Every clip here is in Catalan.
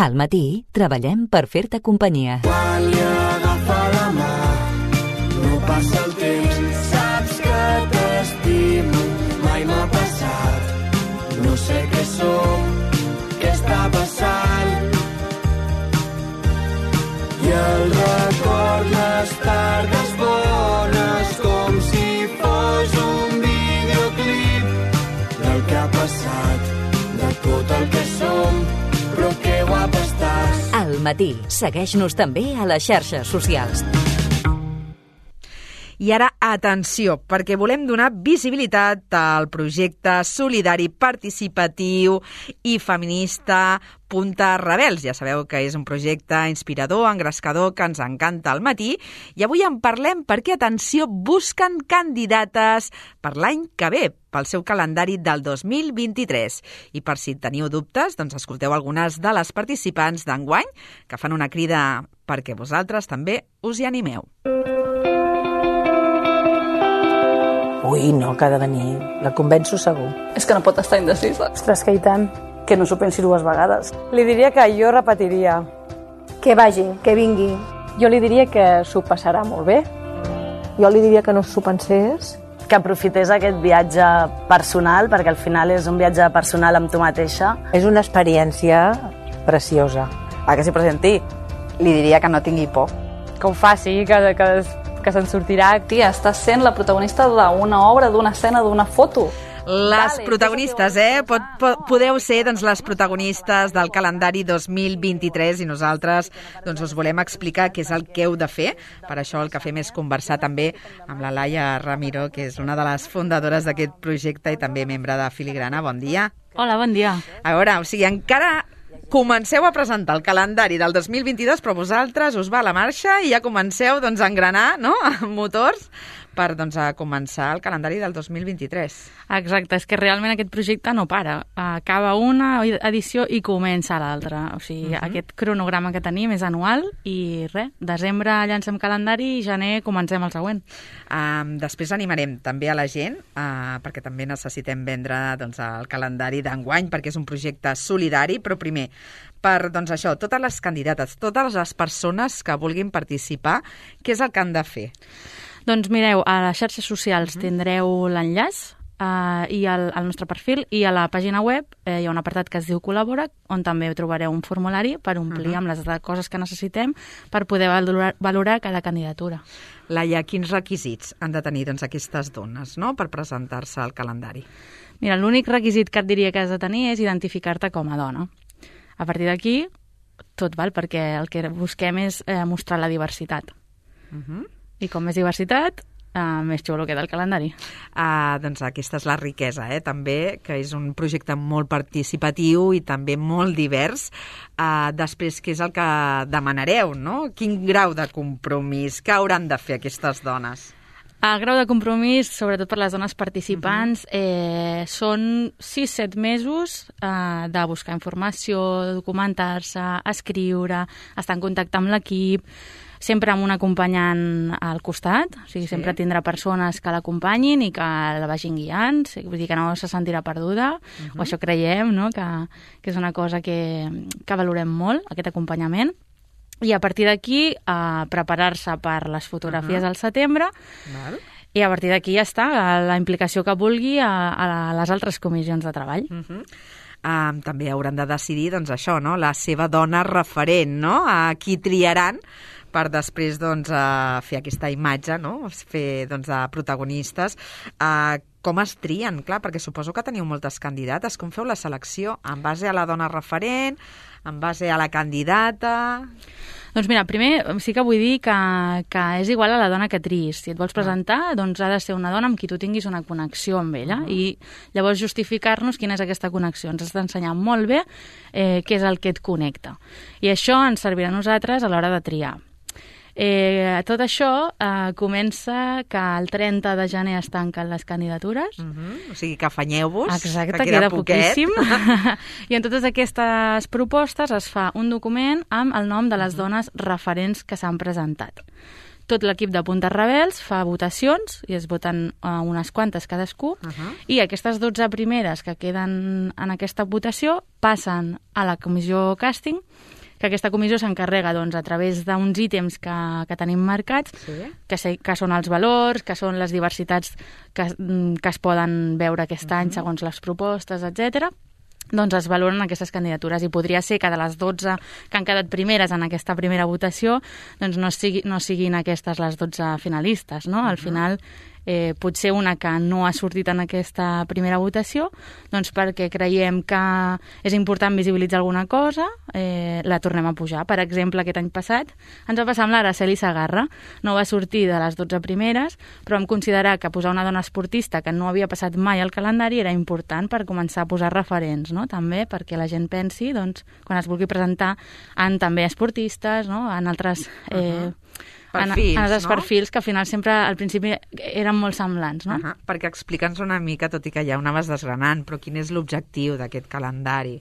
Al matí treballem per fer-te companyia. Quan li agafa la mà, no passa el temps, saps que t'estimo, mai m'ha passat. No sé què som, què està passant. I el record les tardes bones, com si fos un videoclip del que ha passat, de tot el que som, però que guapa estàs. Al matí, segueix-nos també a les xarxes socials. I ara, atenció, perquè volem donar visibilitat al projecte solidari, participatiu i feminista Punta Rebels. Ja sabeu que és un projecte inspirador, engrescador, que ens encanta al matí. I avui en parlem perquè, atenció, busquen candidates per l'any que ve, pel seu calendari del 2023. I per si teniu dubtes, doncs escolteu algunes de les participants d'enguany que fan una crida perquè vosaltres també us hi animeu. Ui, no, que ha de venir. La convenço segur. És que no pot estar indecisa. Ostres, que i tant. Que no s'ho pensi dues vegades. Li diria que jo repetiria. Que vagi, que vingui. Jo li diria que s'ho passarà molt bé. Jo li diria que no s'ho pensés. Que aprofités aquest viatge personal, perquè al final és un viatge personal amb tu mateixa. És una experiència preciosa. Que s'hi presenti. Li diria que no tingui por. Que ho faci, que se'n sortirà. Tia, estàs sent la protagonista d'una obra, d'una escena, d'una foto. Les protagonistes, podeu ser doncs, les protagonistes del calendari 2023 i nosaltres doncs, us volem explicar què és el que heu de fer. Per això el que fem és conversar també amb la Laia Ramiro, que és una de les fundadores d'aquest projecte i també membre de Filigrana. Bon dia. Hola, bon dia. A veure, o sigui, encara comenceu a presentar el calendari del 2022, però vosaltres us va a la marxa i ja comenceu doncs, a engranar, no?, amb motors per doncs, a començar el calendari del 2023. Exacte, és que realment aquest projecte no para. Acaba una edició i comença l'altra. O sigui, aquest cronograma que tenim és anual i res, desembre llancem calendari i gener comencem el següent. Després animarem també a la gent, perquè també necessitem vendre doncs, el calendari d'enguany, perquè és un projecte solidari, però primer, per doncs, això, totes les candidates, totes les persones que vulguin participar, què és el que han de fer? Doncs mireu, a les xarxes socials tindreu l'enllaç i al nostre perfil, i a la pàgina web hi ha un apartat que es diu Col·labora, on també trobareu un formulari per omplir amb les coses que necessitem per poder valorar cada candidatura. Laia, quins requisits han de tenir doncs, aquestes dones, no?, per presentar-se al calendari? Mira, l'únic requisit que et diria que has de tenir és identificar-te com a dona. A partir d'aquí, tot val, perquè el que busquem és mostrar la diversitat. I com més diversitat, més xulo queda el calendari. Doncs aquesta és la riquesa, també, que és un projecte molt participatiu i també molt divers. Després, què és el que demanareu, no? Quin grau de compromís que hauran de fer aquestes dones? El grau de compromís, sobretot per les dones participants, són 6-7 mesos de buscar informació, documentar-se, escriure, estar en contacte amb l'equip, sempre amb un acompanyant al costat, o sigui, sempre tindrà persones que l'acompanyin i que la vagin guiant, vull dir que no se sentirà perduda, o això creiem, no?, que és una cosa que valorem molt, aquest acompanyament. I a partir d'aquí, preparar-se per les fotografies al setembre, i a partir d'aquí ja està, la implicació que vulgui a les altres comissions de treball. També hauran de decidir, doncs, això, no?, la seva dona referent, no?, a qui triaran per després doncs, fer aquesta imatge, no?, fer doncs, de protagonistes. Com es trien? Clar, perquè suposo que teniu moltes candidates. Com feu la selecció? En base a la dona referent? En base a la candidata? Doncs mira, primer sí que vull dir que és igual a la dona que triïs. Si et vols presentar, doncs ha de ser una dona amb qui tu tinguis una connexió amb ella i llavors justificar-nos quina és aquesta connexió. Ens has d'ensenyar molt bé què és el que et connecta. I això ens servirà a nosaltres a l'hora de triar. Tot això comença que el 30 de gener es tanquen les candidatures. O sigui que afanyeu-vos. Exacte, queda poquíssim. I en totes aquestes propostes es fa un document amb el nom de les dones referents que s'han presentat. tot l'equip de Puntes Rebels fa votacions, i es voten unes quantes cadascú, i aquestes 12 primeres que queden en aquesta votació passen a la comissió càsting, que aquesta comissió s'encarrega a través d'uns ítems que tenim marcats, que són els valors, que són les diversitats que es poden veure aquest any segons les propostes, etc. Doncs es valoren aquestes candidatures, i podria ser que de les 12 que han quedat primeres en aquesta primera votació doncs no siguin aquestes les 12 finalistes, no? Al final potser una que no ha sortit en aquesta primera votació, doncs perquè creiem que és important visibilitzar alguna cosa, la tornem a pujar. Per exemple, aquest any passat ens va passar amb l'Araceli Segarra. No va sortir de les 12 primeres, però vam considerar que posar una dona esportista que no havia passat mai al calendari era important per començar a posar referents, no? També perquè la gent pensi, doncs, quan es vulgui presentar, en també esportistes, no? En altres... perfils, en els no? perfils que al final sempre al principi eren molt semblants, no? Perquè explica'ns una mica, tot i que ja ho anaves desgranant, però quin és l'objectiu d'aquest calendari?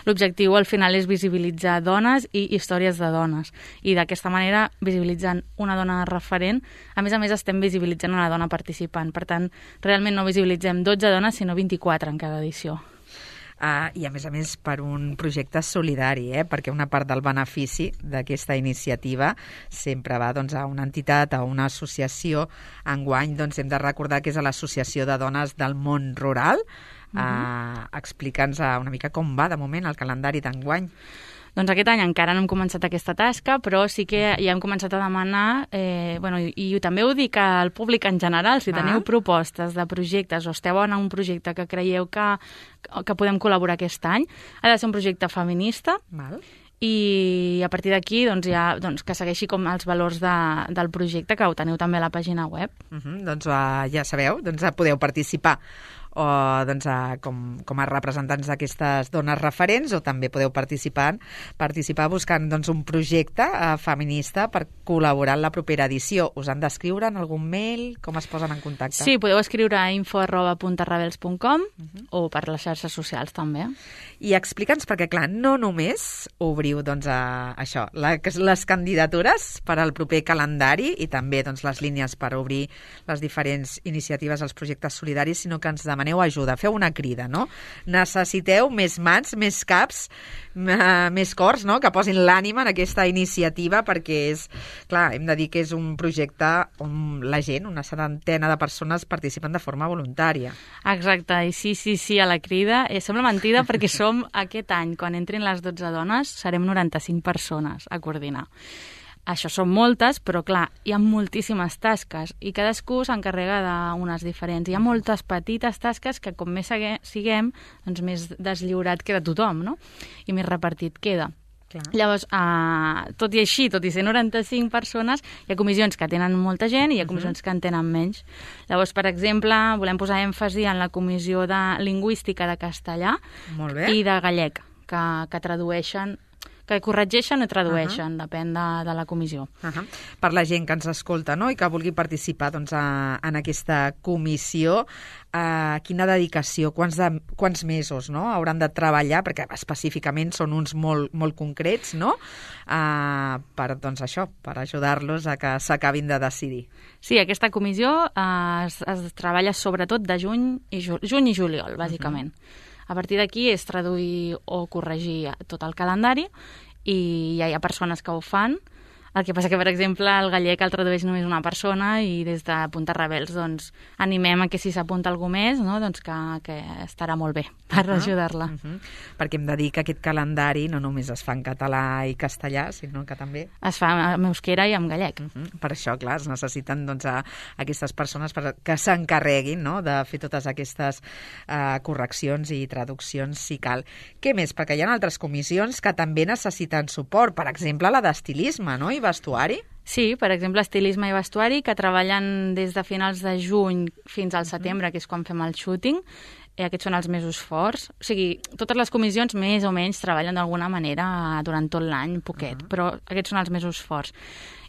L'objectiu al final és visibilitzar dones i històries de dones, i d'aquesta manera, visibilitzant una dona referent, a més estem visibilitzant una dona participant. Per tant, realment no visibilitzem 12 dones, sinó 24 en cada edició. I a més per un projecte solidari, perquè una part del benefici d'aquesta iniciativa sempre va a una entitat, a una associació. Enguany hem de recordar que és a l'Associació de Dones del Món Rural. Explica'ns una mica com va de moment el calendari d'enguany. Doncs aquest any encara no hem començat aquesta tasca, però sí que ja hem començat a demanar, i també ho dic al públic en general, si teniu propostes de projectes o esteu en un projecte que creieu que podem col·laborar aquest any, ha de ser un projecte feminista, i a partir d'aquí que segueixi com els valors del projecte, que ho teniu també a la pàgina web. Doncs ja sabeu, podeu participar o com a representants d'aquestes dones referents, o també podeu participar buscant un projecte feminista per col·laborar en la propera edició. Us han d'escriure en algun mail? Com es posen en contacte? Sí, podeu escriure a info@puntesrebels.com o per les xarxes socials també. I explica'ns, perquè clar, no només obriu això, les candidatures per al proper calendari i també les línies per obrir les diferents iniciatives als projectes solidaris, sinó que ens demaneu ajuda, feu una crida, no? Necessiteu més mans, més caps, més cors, no? Que posin l'ànima en aquesta iniciativa, perquè hem de dir que és un projecte on la gent, una setantena de persones, participen de forma voluntària. Exacte, i sí, a la crida. Sembla mentida perquè som aquest any, quan entrin les 12 dones, serem 95 persones a coordinar. Això són moltes, però clar, hi ha moltíssimes tasques i cadascú s'encarrega d'unes diferents. Hi ha moltes petites tasques que com més siguem, doncs més deslliurat queda tothom, no? I més repartit queda. Clar. Llavors, tot i així, tot i ser 95 persones, hi ha comissions que tenen molta gent i hi ha comissions que en tenen menys. Llavors, per exemple, volem posar èmfasi en la comissió de lingüística de castellà i de gallec, que tradueixen, que corregeixen o tradueixen, depèn de la comissió. Per la gent que ens escolta, no?, i que vulgui participar en aquesta comissió, quina dedicació, quants mesos, no?, hauran de treballar, perquè específicament són uns molt concrets, no?, per ajudar-los a que s'acabin de decidir. Sí, aquesta comissió es treballa sobretot de juny i juliol, bàsicament. A partir d'aquí és traduir o corregir tot el calendari i ja hi ha persones que ho fan. El que passa que, per exemple, el gallec el tradueix només una persona i des de Puntes Rebels doncs, animem a que si s'apunta algú més, no, doncs que estarà molt bé per ajudar-la. Perquè hem de dir que aquest calendari no només es fa en català i castellà, sinó que també... Es fa en euskera i en gallec. Per això, clar, es necessiten aquestes persones que s'encarreguin, no?, de fer totes aquestes correccions i traduccions si cal. Què més? Perquè hi ha altres comissions que també necessiten suport, per exemple, la d'estilisme, no?, i vestuari? Sí, per exemple, estilisme i vestuari, que treballen des de finals de juny fins al setembre, que és quan fem el shooting. Aquests són els mesos forts. O sigui, totes les comissions més o menys treballen d'alguna manera durant tot l'any, poquet, però aquests són els mesos forts.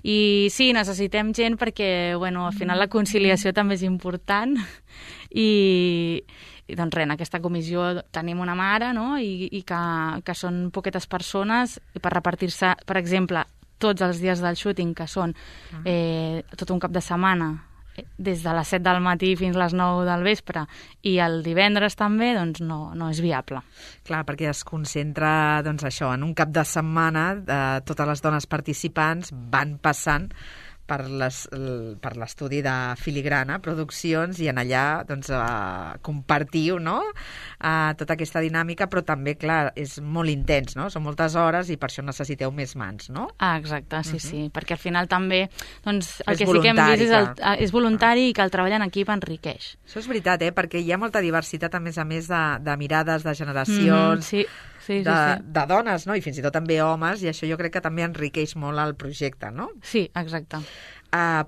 I sí, necessitem gent perquè, bueno, al final la conciliació també és important i doncs res, en aquesta comissió tenim una mare, no?, i que són poquetes persones i per repartir-se, per exemple, tots els dies del shooting, que són tot un cap de setmana, des de les 7 del matí fins a les 9 del vespre, i el divendres també, doncs no és viable. Clar, perquè es concentra, doncs això, en un cap de setmana, totes les dones participants van passant per l'estudi de Filigrana Produccions i en allà doncs, compartiu, no? Tota aquesta dinàmica, però també, clar, és molt intens, no? Són moltes hores i per això necessiteu més mans, no? Exacte, sí, perquè al final també doncs, el que sí que hem vist és voluntari i que el treball en equip enriqueix. Això és veritat, perquè hi ha molta diversitat, a més de mirades, de generacions, de dones, no? I fins i tot també homes, i això jo crec que també enriqueix molt el projecte, no? Sí, exacte.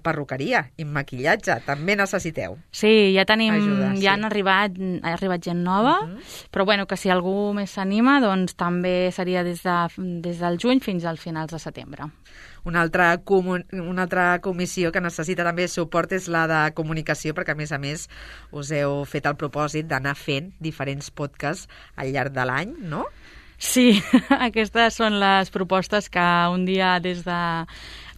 Perruqueria i maquillatge, també necessiteu. Sí, ja tenim, ha arribat gent nova, però bueno, que si algú més s'anima, doncs també seria des del juny fins al finals de setembre. Una altra comissió que necessita també suport és la de comunicació, perquè a més us heu fet el propòsit d'anar fent diferents podcasts al llarg de l'any, no? Sí, aquestes són les propostes que un dia des de...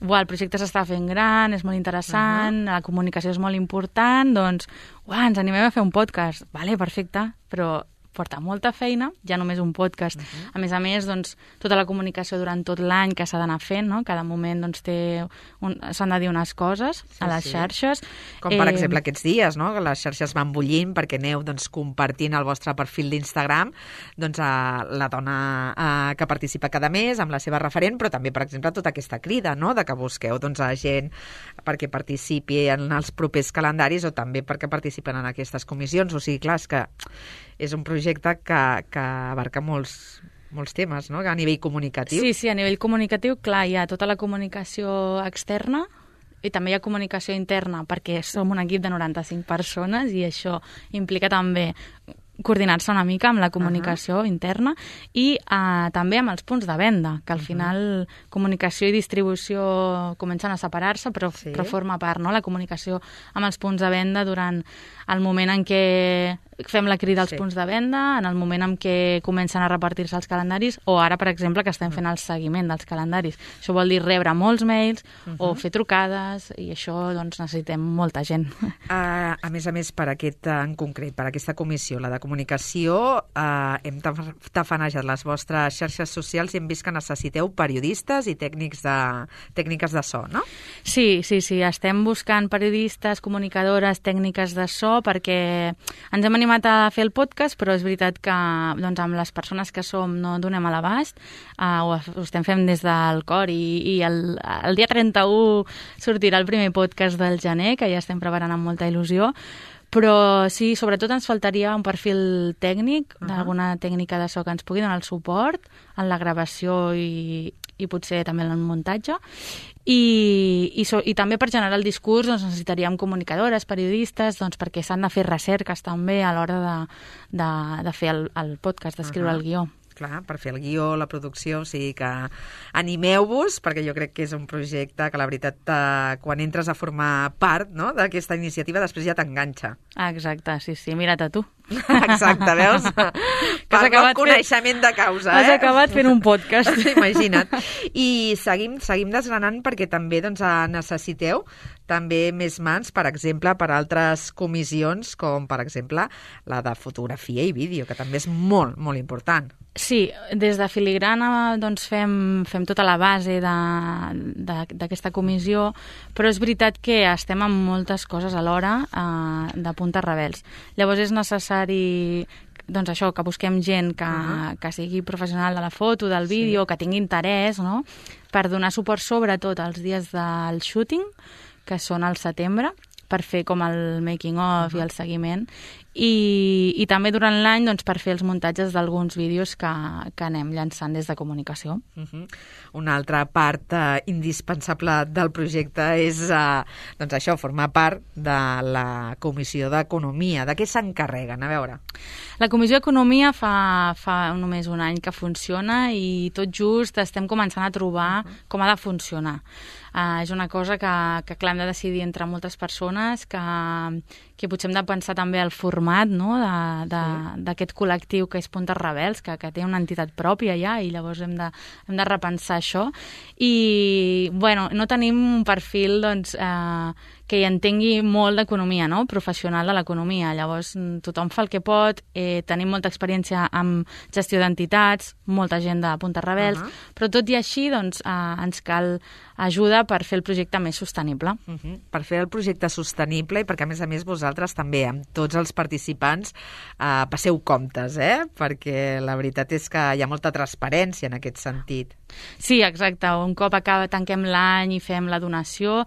el projecte s'està fent gran, és molt interessant, la comunicació és molt important, doncs ens animem a fer un podcast. Vale, perfecte, però porta molta feina, ja només un podcast. A més, doncs, tota la comunicació durant tot l'any que s'ha d'anar fent, no? Cada moment doncs, s'han de dir unes coses a les xarxes. Com per exemple aquests dies, no? Que les xarxes van bullint perquè aneu doncs, compartint el vostre perfil d'Instagram doncs, la dona que participa cada mes amb la seva referent, però també, per exemple, tota aquesta crida, no? De que busqueu doncs, a gent perquè participi en els propers calendaris o també perquè participen en aquestes comissions. O sigui, clar, és que és un projecte que abarca molts temes, no? A nivell comunicatiu. Sí, a nivell comunicatiu, clar, hi ha tota la comunicació externa i també hi ha comunicació interna, perquè som un equip de 95 persones i això implica també coordinar-se una mica amb la comunicació interna i també amb els punts de venda, que al final comunicació i distribució comencen a separar-se, però forma part, no? La comunicació amb els punts de venda durant el moment en què fem la crida als punts de venda, en el moment en què comencen a repartir-se els calendaris, o ara, per exemple, que estem fent el seguiment dels calendaris. Això vol dir rebre molts mails o fer trucades, i això doncs, necessitem molta gent. A més, per aquest en concret, per aquesta comissió, la de comunicació, hem tafanejat les vostres xarxes socials i hem vist que necessiteu periodistes i tècniques de so, no? Sí, estem buscant periodistes, comunicadores, tècniques de so, perquè ens hem animat a fer el podcast, però és veritat que doncs, amb les persones que som no donem a l'abast, ho estem fent des del cor i el dia 31 sortirà el primer podcast del gener, que ja estem preparant amb molta il·lusió, però sí, sobretot ens faltaria un perfil tècnic, d'alguna tècnica de so que ens pugui donar el suport en la gravació i potser també en el muntatge. I també per generar el discurs doncs, necessitaríem comunicadores, periodistes, doncs, perquè s'han de fer recerques també a l'hora de fer el podcast, d'escriure el guió. Clar, per fer el guió, la producció, o sigui que animeu-vos, perquè jo crec que és un projecte que la veritat, quan entres a formar part, no?, d'aquesta iniciativa, després ja t'enganxa. Exacte, sí, mira't a tu. Exacte, veus? Parlo amb coneixement de causa. Has acabat fent un podcast. Imagina't. I seguim desgranant perquè també doncs, necessiteu també més mans, per exemple, per altres comissions, com per exemple la de fotografia i vídeo, que també és molt, molt important. Sí, des de Filigrana doncs, fem tota la base d'aquesta comissió, però és veritat que estem amb moltes coses alhora de puntes rebels. Llavors és necessari doncs això, que busquem gent que sigui professional de la foto, del vídeo, que tingui interès, no?, per donar suport sobretot als dies del shooting, que són al setembre, per fer com el making of i el seguiment, i també durant l'any doncs, per fer els muntatges d'alguns vídeos que anem llançant des de comunicació. Una altra part indispensable del projecte és doncs això, formar part de la Comissió d'Economia. De què s'encarreguen? A veure. La Comissió d'Economia fa només un any que funciona i tot just estem començant a trobar com ha de funcionar. És una cosa que clar, hem de decidir entre moltes persones, que potser hem de pensar també el format, no?, d'aquest col·lectiu que és Puntes Rebels, que té una entitat pròpia ja, i llavors hem de repensar això. I, bueno, no tenim un perfil, doncs, que hi entengui molt d'economia, no?, professional de l'economia. Llavors, tothom fa el que pot, tenim molta experiència amb gestió d'entitats, molta gent de Puntes Rebels, però tot i així, doncs, ens cal ajuda per fer el projecte més sostenible. Per fer el projecte sostenible i perquè, a més, vosaltres també, amb tots els participants, passeu comptes, perquè la veritat és que hi ha molta transparència en aquest sentit. Sí, exacte. Un cop tanquem l'any i fem la donació,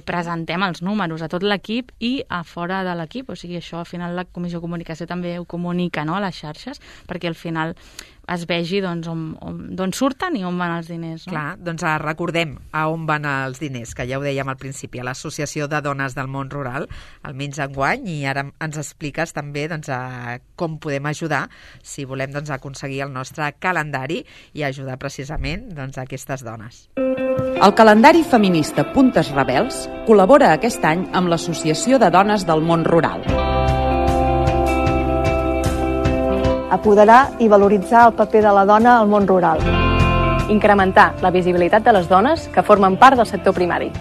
presentem els números a tot l'equip i a fora de l'equip. O sigui, això al final la Comissió de Comunicació també ho comunica, no?, a les xarxes, perquè al final es vegi d'on surten i on van els diners. No? Clar, doncs recordem a on van els diners, que ja ho dèiem al principi, a l'Associació de Dones del Món Rural, almenys enguany, i ara ens expliques també doncs, com podem ajudar si volem aconseguir el nostre calendari i ajudar precisament a aquestes dones. El calendari feminista Puntes Rebels col·labora aquest any amb l'Associació de Dones del Món Rural. Apoderar i valoritzar el paper de la dona al món rural. Incrementar la visibilitat de les dones que formen part del sector primari.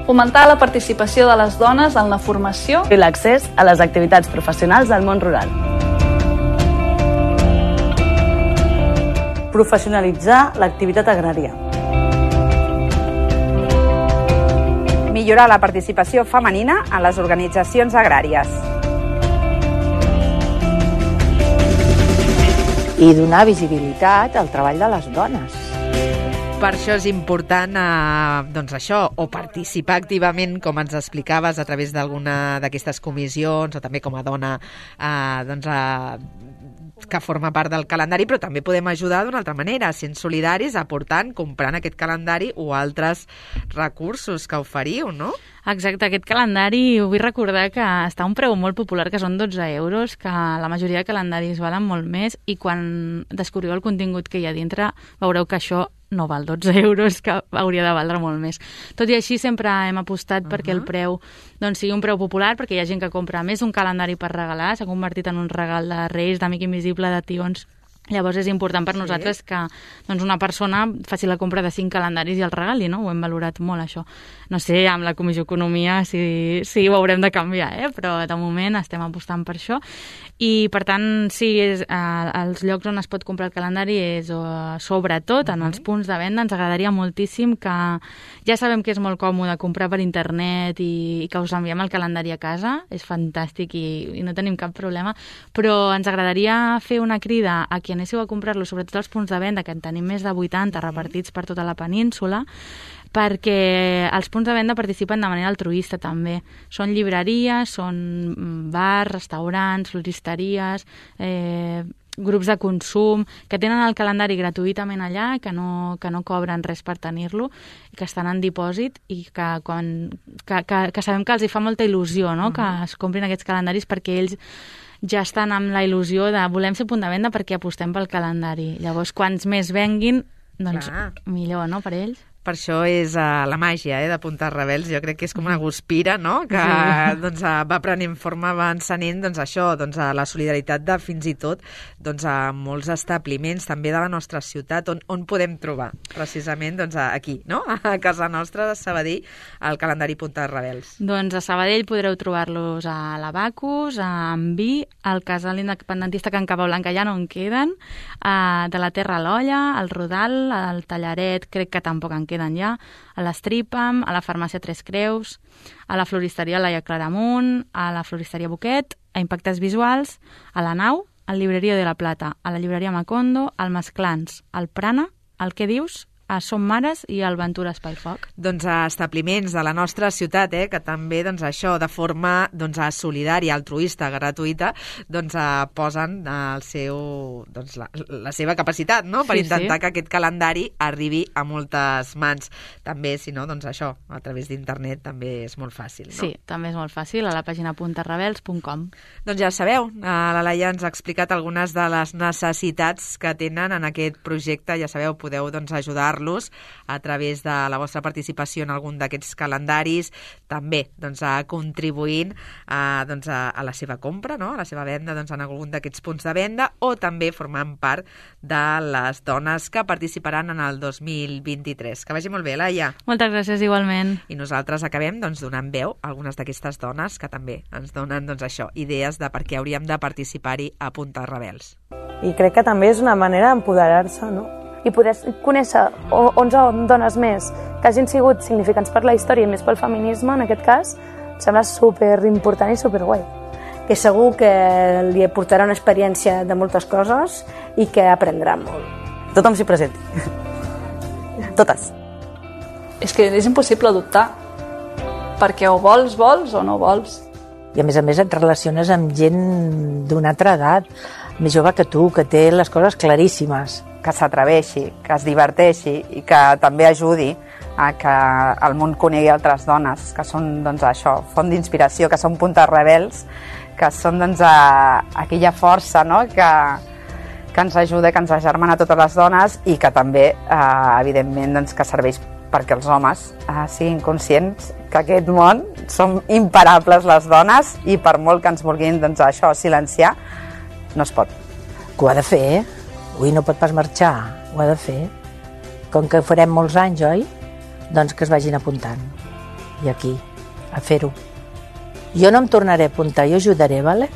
Fomentar la participació de les dones en la formació i l'accés a les activitats professionals del món rural. Professionalitzar l'activitat agrària. Millorar la participació femenina en les organitzacions agràries. I donar visibilitat al treball de les dones. Per això és important o participar activament, com ens explicaves, a través d'alguna d'aquestes comissions o també com a dona que forma part del calendari, però també podem ajudar d'una altra manera, sent solidaris, aportant, comprant aquest calendari o altres recursos que oferiu, no? Exacte, aquest calendari vull recordar que està a un preu molt popular, que són 12 euros, que la majoria de calendaris valen molt més, i quan descobriu el contingut que hi ha dintre veureu que això no val 12 euros, que hauria de valdre molt més. Tot i així sempre hem apostat perquè el preu sigui un preu popular, perquè hi ha gent que compra més d'un calendari per regalar, s'ha convertit en un regal de Reis, d'Amic Invisible, de tions. Llavors és important per nosaltres que una persona faci la compra de 5 calendaris i el regali, no? Ho hem valorat molt, això. No sé, amb la Comissió d'Economia si ho haurem de canviar, però de moment estem apostant per això. I, per tant, sí, els llocs on es pot comprar el calendari és sobretot en els punts de venda. Ens agradaria moltíssim que... Ja sabem que és molt còmode comprar per internet i que us enviem el calendari a casa. És fantàstic i no tenim cap problema. Però ens agradaria fer una crida a qui anéssiu a comprar-lo, sobretot als punts de venda, que en tenim més de 80 repartits per tota la península, perquè els punts de venda participen de manera altruista també. Són llibreries, són bars, restaurants, floristeries, grups de consum, que tenen el calendari gratuïtament allà, que no cobren res per tenir-lo, i que estan en dipòsit, i que sabem que els hi fa molta il·lusió, no?, que es comprin aquests calendaris, perquè ells ja estan amb la il·lusió de volem ser punt de venda perquè apostem pel calendari. Llavors, quants més venguin, doncs millor, no?, per ells. Per això és la màgia de Puntes Rebels. Jo crec que és com una guspira, no?, que va prenent forma, va encenent la solidaritat de fins i tot a molts establiments també de la nostra ciutat, on podem trobar precisament aquí, no?, a casa nostra de Sabadell, el calendari Puntes Rebels. Doncs a Sabadell podreu trobar-los a l'Abacus, a Enví, al Casal Independentista Can Capablanca ja no en queden, de la Terra a l'Olla, al Rodal, al Tallaret, crec que tampoc en queden ja, a l'Estripam, a la farmàcia Tres Creus, a la floristeria Laia Claramunt, a la floristeria Boquet, a Impactes Visuals, a la Nau, a la llibreria de la Plata, a la llibreria Macondo, al Masclans, al Prana, al Què dius, a Som Mares i al Ventura Espai Foc. Doncs a establiments de la nostra ciutat, que també doncs, això de forma solidària, altruista, gratuïta, doncs posen el seu, doncs, la seva capacitat, no? Per intentar que aquest calendari arribi a moltes mans. També, si no, doncs això, a través d'internet també és molt fàcil, no? Sí, també és molt fàcil, a la pàgina puntarebels.com. Doncs ja sabeu, la Laia ens ha explicat algunes de les necessitats que tenen en aquest projecte. Ja sabeu, podeu ajudar-los a través de la vostra participació en algun d'aquests calendaris, també contribuint a la seva compra, no? A la seva venda en algun d'aquests punts de venda, o també formant part de les dones que participaran en el 2023. Que vagi molt bé, Laia. Moltes gràcies, igualment. I nosaltres acabem donant veu a algunes d'aquestes dones que també ens donen idees de per què hauríem de participar-hi a Punta Rebels. I crec que també és una manera d'empoderar-se, no? I poder conèixer 11 dones més que hagin sigut significants per la història i més pel feminisme, en aquest cas, em sembla superimportant i superguai. Que segur que li portarà una experiència de moltes coses i que aprendrà molt. Tothom s'hi presenti. Totes. És que és impossible dubtar, perquè o vols o no vols. I a més et relaciones amb gent d'una altra edat, més jove que tu, que té les coses claríssimes. Que s'atreveixi, que es diverteixi i que també ajudi a que el món conegui altres dones, que són font d'inspiració, que són puntes rebels, que són aquella força, no? que ens ajuda, que ens agermana a totes les dones i que també, evidentment, que serveix perquè els homes siguin conscients que aquest món som imparables les dones i per molt que ens vulguin silenciar, no es pot. Que ho ha de fer, Ui, no pot pas marxar, ho ha de fer. Com que farem molts anys, oi? Doncs que es vagin apuntant. I aquí, a fer-ho. Jo no em tornaré a apuntar, jo ajudaré, vale?